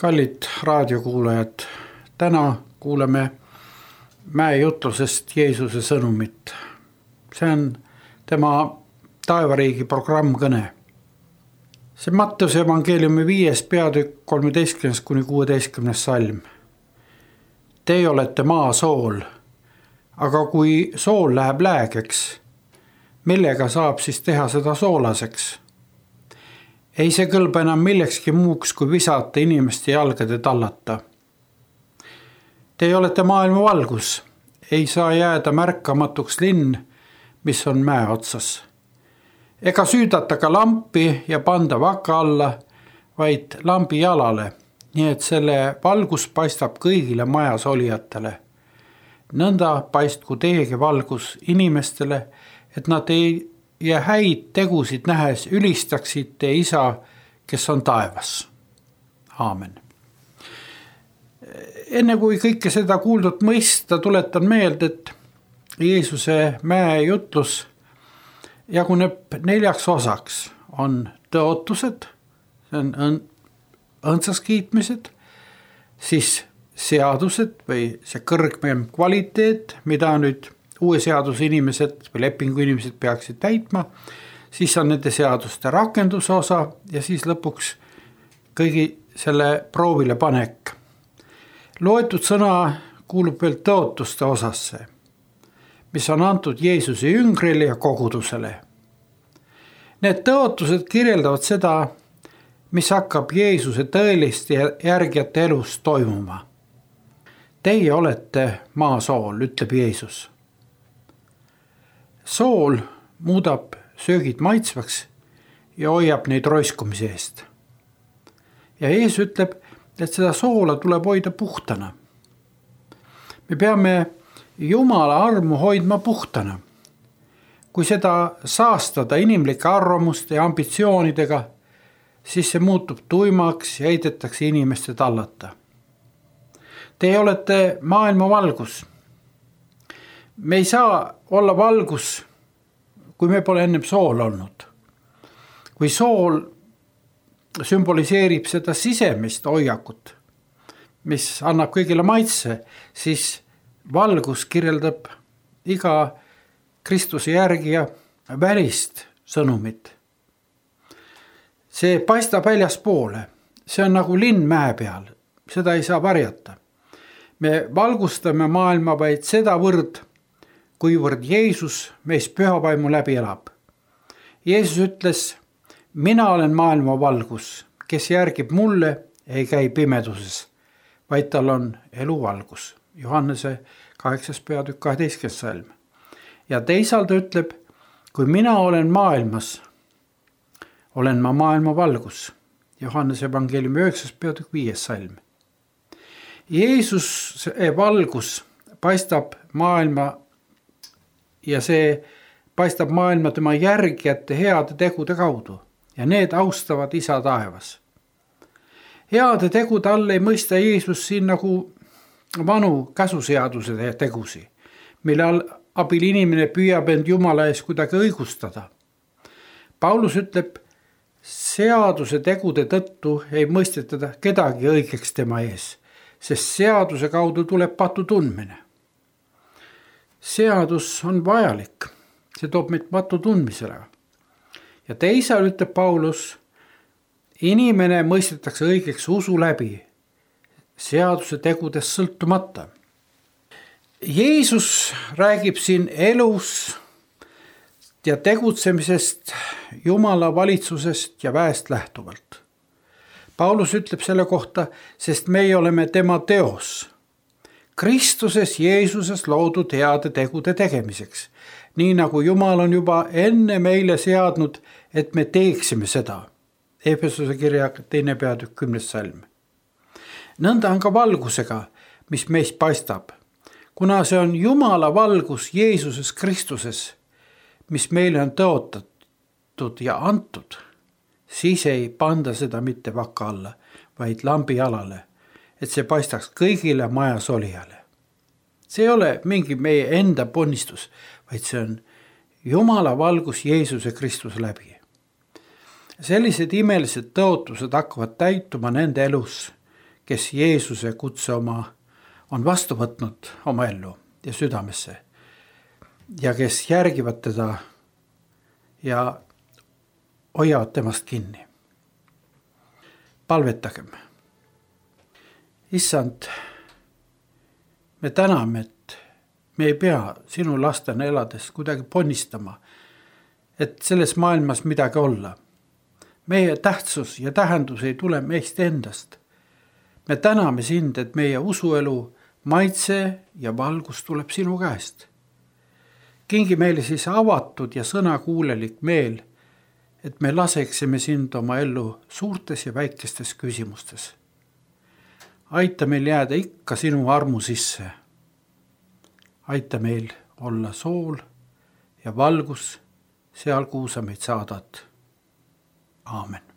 Kallid raadiokuulajad, täna kuuleme mäejutlusest Jeesuse sõnumit. See on tema taevariigi programmkõne. See Matteuse evangeeliumi 5. peatükk 13-16 salm. Teie olete maa sool, aga kui sool läheb läägeks, millega saab siis teha seda soolaseks? Ei see kõlba enam millekski muuks, kui visata inimeste jalgade tallata. Teie olete maailma valgus, ei saa jääda märkamatuks linn, mis on mäe otsas. Ega süüdata ka lampi ja panda vaka alla, vaid lambi jalale, nii et selle valgus paistab kõigile majas olijatele. Nõnda paistku teiegi valgus inimestele, et nad ei ja häid tegusid nähes ülistaksid te isa, kes on taevas. Aamen. Enne kui kõike seda kuuldut mõista, tuletan meelde, et Jeesuse mäejutlus jaguneb 4 osaks. On tõotused, see on õndsas kiitmised, siis seadused või see kõrgem kvaliteet, mida nüüd uue seaduse inimesed või lepingu inimesed peaksid täitma, siis on nende seaduste rakenduse osa ja siis lõpuks kõigi selle proovile panek. Loetud sõna kuulub veel tõotuste osasse, mis on antud Jeesuse jüngrile ja kogudusele. Need tõotused kirjeldavad seda, mis hakkab Jeesuse tõeliste järgijate elus toimuma. Teie olete maasool, ütleb Jeesus. Sool muudab söögid maitsvaks ja hoiab neid roiskumise eest. Ja Jeesus ütleb, et seda soola tuleb hoida puhtana. Me peame Jumala armu hoidma puhtana. Kui seda saastada inimlike arvamuste ja ambitsioonidega, siis see muutub tuimaks ja heidetakse inimeste tallata. Teie olete maailma valgus. Me ei saa olla valgus, kui me pole ennem sool olnud. Kui sool sümboliseerib seda sisemist hoiakut, mis annab kõigile maitse, siis valgus kirjeldab iga Kristuse järgija välist sõnumit. See paistab väljaspoole, see on nagu linn mäe peal, seda ei saa varjata. Me valgustame maailma vaid sedavõrd, kuivõrd Jeesus meis pühavaimu läbi elab. Jeesus ütles, mina olen maailma valgus, kes järgib mulle, ei käi pimeduses, vaid tal on eluvalgus. Johannese 8. peatükk 12. salm. Ja teisalt ütleb, kui mina olen maailmas, olen ma maailma valgus. Johannese evangeeliumi 9. peatükk 5. salm. Jeesuse valgus paistab maailma ja see paistab maailma tema järgijate heade tegude kaudu ja need austavad isa taevas. Heade tegude all ei mõista Jeesus siin nagu vanu käsuseaduse tegusi, mille abil inimene püüab end Jumala ees kuidagi õigustada. Paulus ütleb, seaduse tegude tõttu ei mõistetada kedagi õigeks tema ees, sest seaduse kaudu tuleb patu tundmine. Seadus on vajalik, see toob meid patu tundmisele. Ja teisal ütleb Paulus, inimene mõistetakse õigeks usu läbi, seaduse tegudest sõltumata. Jeesus räägib siin elus ja tegutsemisest, Jumala valitsusest ja väest lähtuvalt. Paulus ütleb selle kohta, sest meie oleme tema teos. Kristuses Jeesuses loodud heade tegude tegemiseks, nii nagu Jumal on juba enne meile seadnud, et me teeksime seda. Efesuse kirja 2. peatükk 10. salm. Nõnda on ka valgusega, mis meist paistab, kuna see on Jumala valgus Jeesuses Kristuses, mis meile on tõotatud ja antud, siis ei panda seda mitte vaka alla, vaid lambi jalale, et see paistaks kõigile majas olijale. See ei ole mingi meie enda ponnistus, vaid see on Jumala valgus Jeesuse Kristuse läbi. Sellised imelised tõotused hakkavad täituma nende elus, kes Jeesuse kutse on vastu võtnud oma ellu ja südamesse ja kes järgivad teda ja hoiavad temast kinni. Palvetagem. Issand, me täname, et me ei pea sinu lastena elades kuidagi ponnistama, et selles maailmas midagi olla. Meie tähtsus ja tähendus ei tule meist endast. Me täname sind, et meie usuelu maitse ja valgus tuleb sinu käest. Kingi meile siis avatud ja sõnakuulelik meel, et me laseksime sind oma ellu suurtes ja väikestes küsimustes. Aita meil jääda ikka sinu armu sisse. Aita meil olla sool ja valgus seal, kuhu sa meid saadad. Aamen.